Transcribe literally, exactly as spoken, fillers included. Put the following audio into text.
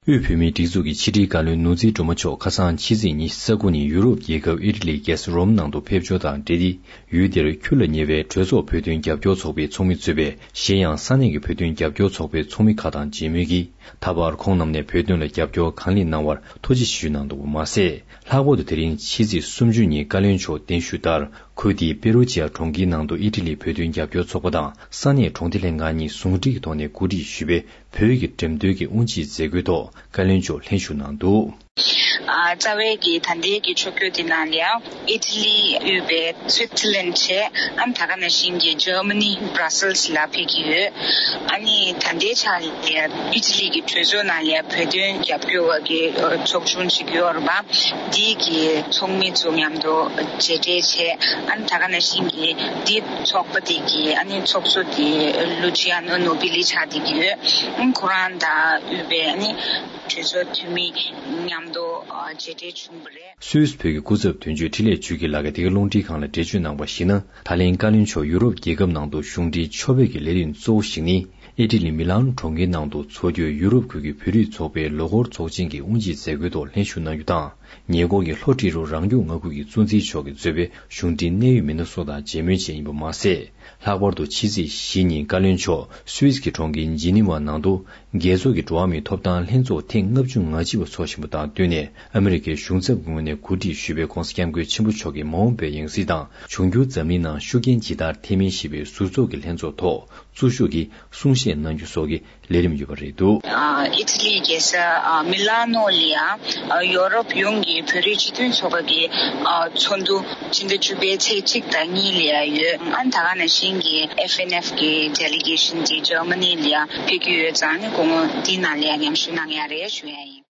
དབུས་བོད་མིའི་སྒྲིག་འཛུགས་ཀྱི་ཕྱི་དྲིལ་བཀའ་བློན་ནོར་འཛིན་སྒྲོལ་མ་མཆོག་ཁ་སང་ཕྱི་ཚེས་ཉི་ཤུ་རྩ་དགུ་ཉིན་ཡུ་རོབ་རྒྱལ་ཁབ་ཨི་ཊ་ལི་རྒྱལ་ས་རོམ་ནང་དུ་ཕེབས་འབྱོར་དང་འབྲེལ་ཏེ། ཡུལ་དེར་ཁྱོན་ལ་ཉེ་བའི་གྲོས་ཚོགས་བོད་དོན་རྒྱབ་སྐྱོར་ཚོགས་པའི་ཚོགས་མི་གཙོས་པའི་གཞན་ཡང་ས་གནས་ཀྱི་བོད་དོན་རྒྱབ་སྐྱོར་ཚོགས་པའི་ཚོགས་མི་ཁག་དང་མཇལ་མོལ་གྱིས། ད་བར་ཁོང་རྣམས་ནས་བོད་དོན་ལ་རྒྱབ་སྐྱོར་གང་ལེགས་གནང་བར་ཐུགས་རྗེ་ཆེ་ཞུས་གནང་འདུག་པ་མ་ཟད། ལྷག་པར་དུ་དེ་རིང་ཕྱི་ཚེས་སུམ་ཅུ་ཉིན་བཀའ་བློན་མཆོག་གདན་ཞུས་ལྟར། ཁུལ་དེའི་པེ་རུ་ཅི་ཡ་གྲོང་ཁྱེར་ནང་དུ་ཨི་ཊ་ལིའི་བོད་དོན་རྒྱབ་སྐྱོར་ཚོགས་པ་དང་ས་གནས་གྲོང་སྡེ་ལྷན་ཁང་གཉིས་ཟུང་འབྲེལ་གྱི་ཐོག་ནས་གོ་སྒྲིག་ཞུས་པའི་བོད་ཀྱི་འགྲེམས་སྟོན་གྱི་དབུ་འབྱེད་མཛད་སྒོའི་ཐོག་བཀའ་བློན་མཆོག་ལྷན་ཞུགས་གནང་འདུག། ཨ་རྩ་བའི་གི་ད་ལྟའི་གི་ཕྱོགས་བསྐྱོད་དེ་ནང་ལ་ཡང་ཨི་ཊ་ལི་དབུས་པའི་སུའི་ཙི་ལན་བྱས། ཨ་ནི་ད་ག་ནང་བཞིན་གྱི་ཇར་མ་ནི་བྷ་ར་སེལ་སི་ལ་ཕེབས་ཀྱི་ཡོད། ཨ་ནི་ད་ལྟའི་ཆ་ལ་ཨི་ཊ་ལི་གི་གྲོས་ཚོགས་ནང་ལ་བོད་དོན་རྒྱབ་སྐྱོར་བ་གི་ཚོགས་ཆུང་ཞིག་ཡོད་རེད་པ། འདི་གི་ཚོགས་མི་ཚོ་མཉམ་དུ་མཇལ་འཕྲད་བྱས། ཨ་ནི་ད་ག་ནང་བཞིན་གྱི་འདི་ཚོགས་པ་དེ་གི་ཨ་ནི་ཚོགས་གཙོ་དེ་ལུ་ཅི་ཡ་ནོ་ནོ་བི་ལི་ཆགས་བསྡད་ཀྱི་ཡོད། ཨ་ནི་ཁོ་རང་དང་དབུས་པའི་ཨ་ནི་གྲོས་ཚོགས་འཐུས་མི་མཉམ་དུ་མཇལ་འཕྲད་བྱུང་བ་རེད། སུད་སི་བོད་ཀྱི་སྐུ་ཚབ་དོན་གཅོད་འཕྲིན་ལས་ཆོས་སྐྱིད་ལགས་ཀྱིས་འདི་ག་རླུང་འཕྲིན་ཁང་ལ་འགྲེལ་བརྗོད་གནང་བར་གཞིགས་ན། ད་ལན་བཀའ་བློན་མཆོག་ཡུ་རོབ་རྒྱལ་ཁབ་ནང་དུ་གཞུང་འབྲེལ་ཆོ་འཕེར་གྱི་ལས་རིམ་གཙོ་བོ་ཞིག་ནི། ཨི་ཊ་ལི་མི་ལན་གྲོང་ཁྱེར་ནང་དུ་འཚོགས་རྒྱུའི་ཡུ་རོབ་ཁུལ་གྱི་བོད་རིགས་ཚོགས་པའི་ལོ་འཁོར་ཚོགས་ཆེན་གྱི་དབུ་འབྱེད་མཛད་སྒོའི་ཐོག་ལྷན་ཞུགས་གནང་རྒྱུ་དང་། ཉེ་འཁོར་གྱི་ལྷོ་ཏི་རུ་རང་སྐྱོང་མངའ་ཁུལ་གྱི་གཙོ་འཛིན་མཆོག་གིས་གཙོས་པའི་གཞུང་འབྲེལ་གནད་ཡོད་མི་སྣ་སོགས་དང་མཇལ་མོལ་བྱས་ཡིན་པ་མ་ཟད། ལྷག་པར་དུ་ཕྱི་ཚེས་བཞི་ཉིན་བཀའ་བློན་མཆོག་སུད་སི་གི་གྲོང་ཁྱེར་ཇི་ནི་ཝ་ནང་དུ། རྒྱལ་ཚོགས་ཀྱི་འགྲོ་བ་མིའི་ཐོབ་ཐང་ལྷན་ཚོགས་ཐེངས་ལྔ་བཅུ་ང་གཅིག་པ་འཚོགས་བཞིན་པ་དང་བསྟུན་ནས། ཨ་མི་རི་ཀའི་གཞུང་ཚབ་ཀྱི་ངོས་ནས་གོ་སྒྲིག་ཞུས་པའི་༧གོང་ས་༧སྐྱབས་མགོན་ཆེན་པོ་མཆོག་གི་མ་འོངས་པའི་ཡང་སྲིད་དང་། འབྱུང་འགྱུར་འཛམ་གླིང་ནང་ཤུགས་རྐྱེན་ཇི་ལྟར་ཐེབས་མིན་ཞེས་པའི་ཟུར་ཚོགས་ཀྱི་ལྷན་ཚོགས་ཐོག་གཙོ་བཞུགས་ཀྱིས་གསུང་བཤད་གནང་རྒྱུ་སོགས་ཀྱི་ལས་རིམ་ཡོད་པ་རེད་འདུག། ཨ་ཨི་ཊ་ལིའི་རྒྱལ་ས་ཨ་མི་ལ་ནོ་ལ་ཡང་ཨ་ཡོ་རོབ་ཡོངས་ཀྱི་བོད་རིགས་སྤྱི་མཐུན་ཚོགས་པ་གི་ཨ་ཚོགས་འདུ་ཕྱི་ཟླ་བཅུ་པའི་ཚེས་གཅིག་དང་གཉིས་ལ་ཡང་ཡོད། ཨ་ནི་ད་ག་ནང་བཞིན་གྱི་ཨེཕ་ཨེན་ཨེཕ་གི་ཌེ་ལི་གེ་ཤན་དེ་ཇར་མ་ནི་ལ་ཡང་ཕེབས་ཀྱི་ཡོད་ཙང་། ཨ་ནི་སྐུ་ངོ་འདི་ནང་ལ་ཡང་མཉམ་ཞུགས་གནང་ཡ་རེད་ཞུ་ཡ་ཡིན།